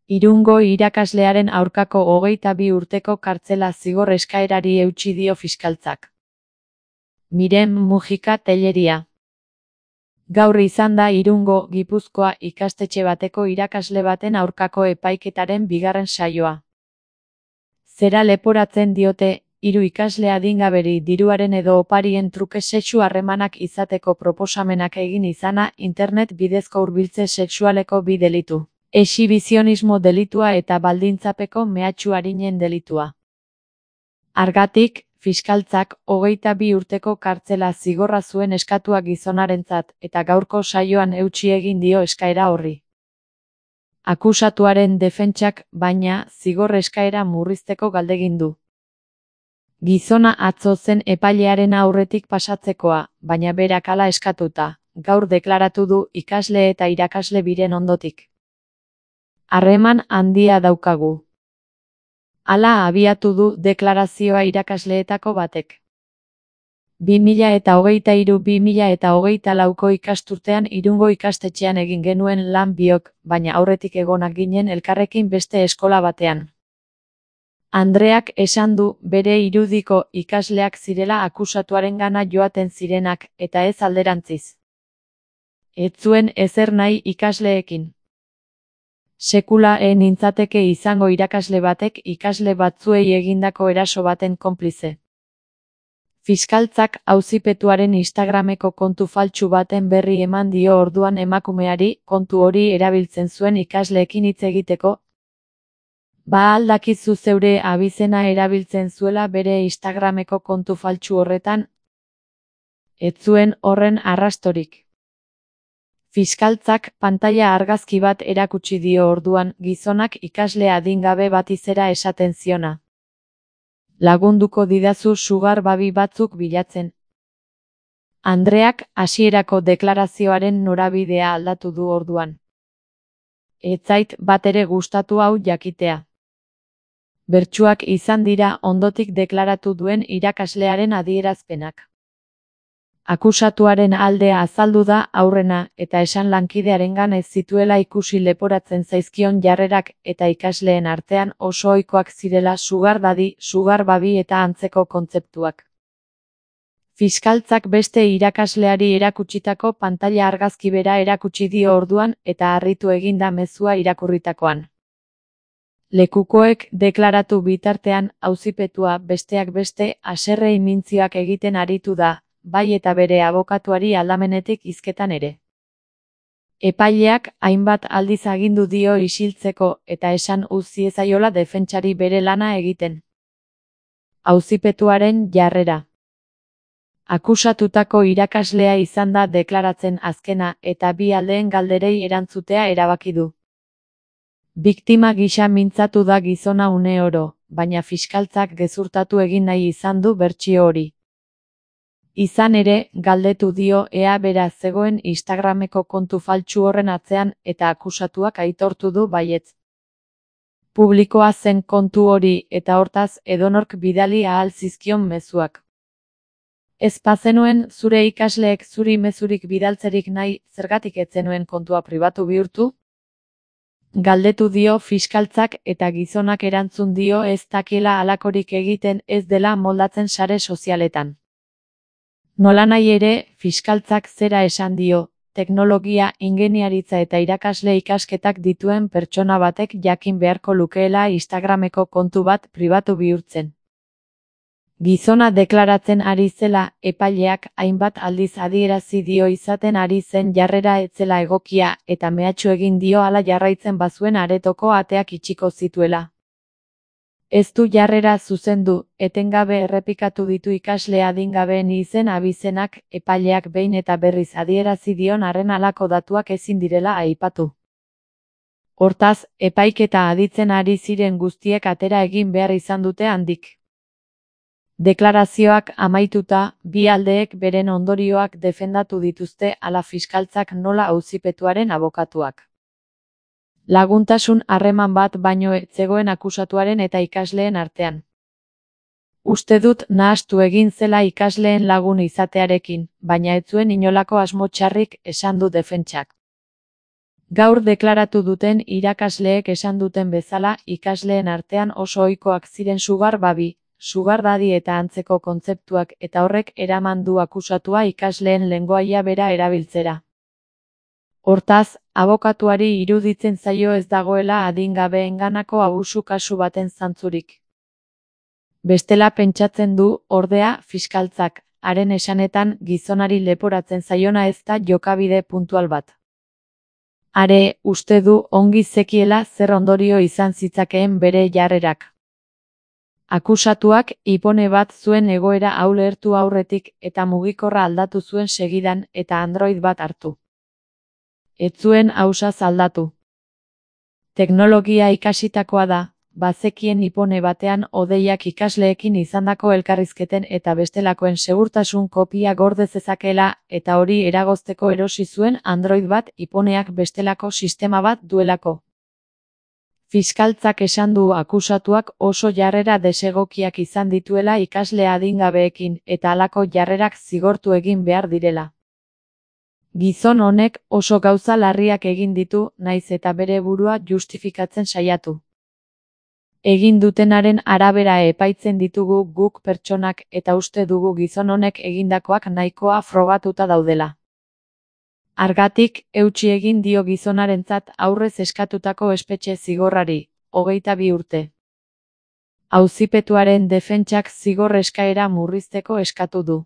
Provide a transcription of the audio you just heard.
Irungo irakaslearen aurkako 22 urteko kartzela zigor eskaerari eutsi dio fiskaltzak. Miren Mujika Telleria. Gaur izan da Irungo, Gipuzkoa ikastetxe bateko irakasle baten aurkako epaiketaren bigarren saioa. Zera leporatzen diote, 3 ikasle adingaberi diruaren edo oparien truke sexu harremanak izateko proposamenak egin izana internet bidezko hurbiltze sexualeko 2 delitu. Exhibizionismo delitua eta baldintzapeko mehatxu arinen delitua. Hargatik, fiskaltzak 22 urteko kartzela zigorra zuen eskatua gizonarentzat eta gaurko saioan eutsi egin dio eskaera horri. Akusatuaren defentsak, baina, zigor eskaera murrizteko galdegin du. Gizona atzo zen epailearen aurretik pasatzekoa, baina berak hala eskatuta, gaur deklaratu du ikasle eta irakasle biren ondotik. Harreman handia daukagu. Hala abiatu du deklarazioa irakasleetako batek. 2023-2024ko ikasturtean Irungo ikastetxean egin genuen lan biok, baina aurretik egonak ginen elkarrekin beste eskola batean. Andreak esan du bere irudiko ikasleak zirela akusatuarengana joaten zirenak eta ez alderantziz. Ez zuen ezer nahi ikasleekin. Sekula nintzateke izango irakasle batek ikasle batzuei egindako eraso baten konplize. Fiskaltzak auzipetuaren Instagrameko kontu faltsu baten berri eman dio orduan emakumeari kontu hori erabiltzen zuen ikasleekin hitz egiteko. Ba al dakizu zeure abizena erabiltzen zuela bere Instagrameko kontu faltsu horretan? Ez zuen horren arrastorik. Fiskaltzak pantaila argazki bat erakutsi dio orduan gizonak ikasle adingabe bati zera esaten ziona. Lagunduko didazu sugar babi batzuk bilatzen. Andreak hasierako deklarazioaren norabidea aldatu du orduan. Ez zait batere gustatu hau jakitea. Bertsuak izan dira ondotik deklaratu duen irakaslearen adierazpenak. Akusatuaren aldea azaldu da aurrena eta esan lankidearengan ez zituela ikusi leporatzen zaizkion jarrerak eta ikasleen artean oso ohikoak zirela sugar daddy, sugar baby eta antzeko kontzeptuak. Fiskaltzak beste irakasleari erakutsitako pantaila argazki bera erakutsi dio orduan eta harritu egin da mezua irakurritakoan. Lekukoek deklaratu bitartean auzipetua besteak beste haserre imintzioak egiten aritu da, bai eta bere abokatuari aldamenetik hizketan ere. Epaileak hainbat aldiz agindu dio isiltzeko eta esan utzi ezaiola defentsari bere lana egiten. Auzipetuaren jarrera. Akusatutako irakaslea izan da deklaratzen azkena eta bi aldeen galderei erantzutea erabaki du. Biktima gisa mintzatu da gizona une oro, baina fiskaltzak gezurtatu egin nahi izan du bertsio hori. Izan ere, galdetu dio ea bera zegoen Instagrameko kontu faltsu horren atzean eta akusatuak aitortu du baietz. Publikoa zen kontu hori eta hortaz edonork bidali ahal zizkion mezuak. Ez bazenuen zure ikasleek zuri mezurik bidaltzerik nahi, zergatik ez zenuen kontua pribatu bihurtu? Galdetu dio fiskaltzak eta gizonak erantzun dio ez dakiela halakorik egiten ez dela moldatzen sare sozialetan. Nolanahi ere, fiskaltzak zera esan dio, teknologia, ingeniaritza eta irakasle ikasketak dituen pertsona batek jakin beharko lukeela Instagrameko kontu bat pribatu bihurtzen. Gizona deklaratzen ari zela, epaileak hainbat aldiz adierazi dio izaten ari zen jarrera ez zela egokia eta mehatxu egin dio hala jarraitzen bazuen aretoko ateak itxiko zituela. Ez du jarrera zuzendu, etengabe errepikatu ditu ikasle adingabeen izen abizenak, epaileak behin eta berriz adierazi dion arren halako datuak ezin direla aipatu. Hortaz, epaiketa aditzen ari ziren guztiek atera egin behar izan dute handik. Deklarazioak amaituta, bi aldeek beren ondorioak defendatu dituzte hala fiskaltzak nola auzipetuaren abokatuak. Laguntasun harreman bat baino ez zegoen akusatuaren eta ikasleen artean. Uste dut nahastu egin zela ikasleen lagun izatearekin, baina ez zuen inolako asmo txarrik, esan du defentsak. Gaur deklaratu duten irakasleek esan duten bezala, ikasleen artean oso ohikoak ziren sugar baby, sugar daddy eta antzeko kontzeptuak eta horrek eraman du akusatua ikasleen lengoaia bera erabiltzera. Hortaz, abokatuari iruditzen zaio ez dagoela adingabeenganako abusu kasu baten zantzurik. Bestela pentsatzen du, ordea, fiskaltzak, haren esanetan gizonari leporatzen zaiona ez da jokabide puntual bat. Are, uste du ongi zekiela zer ondorio izan zitzakeen bere jarrerak. Akusatuak ipone bat zuen egoera hau lehertu aurretik eta mugikorra aldatu zuen segidan eta Android bat hartu. Ez zuen ausaz aldatu. Teknologia ikasitakoa da, bazekien ipone batean hodeiak ikasleekin izandako elkarrizketen eta bestelakoen segurtasun kopia gorde zezakeela eta hori eragozteko erosi zuen Android bat iponeak bestelako sistema bat duelako. Fiskaltzak esan du akusatuak oso jarrera desegokiak izan dituela ikasle adingabeekin eta halako jarrerak zigortu egin behar direla. Gizon honek oso gauza larriak egin ditu, naiz eta bere burua justifikatzen saiatu. Egin dutenaren arabera epaitzen ditugu guk pertsonak eta uste dugu gizon honek egindakoak nahikoa frogatuta daudela. Hargatik, eutsi egin dio gizonarentzat aurrez eskatutako espetxe zigorrari, 22 urte. Auzipetuaren defentsak zigor eskaera murrizteko eskatu du.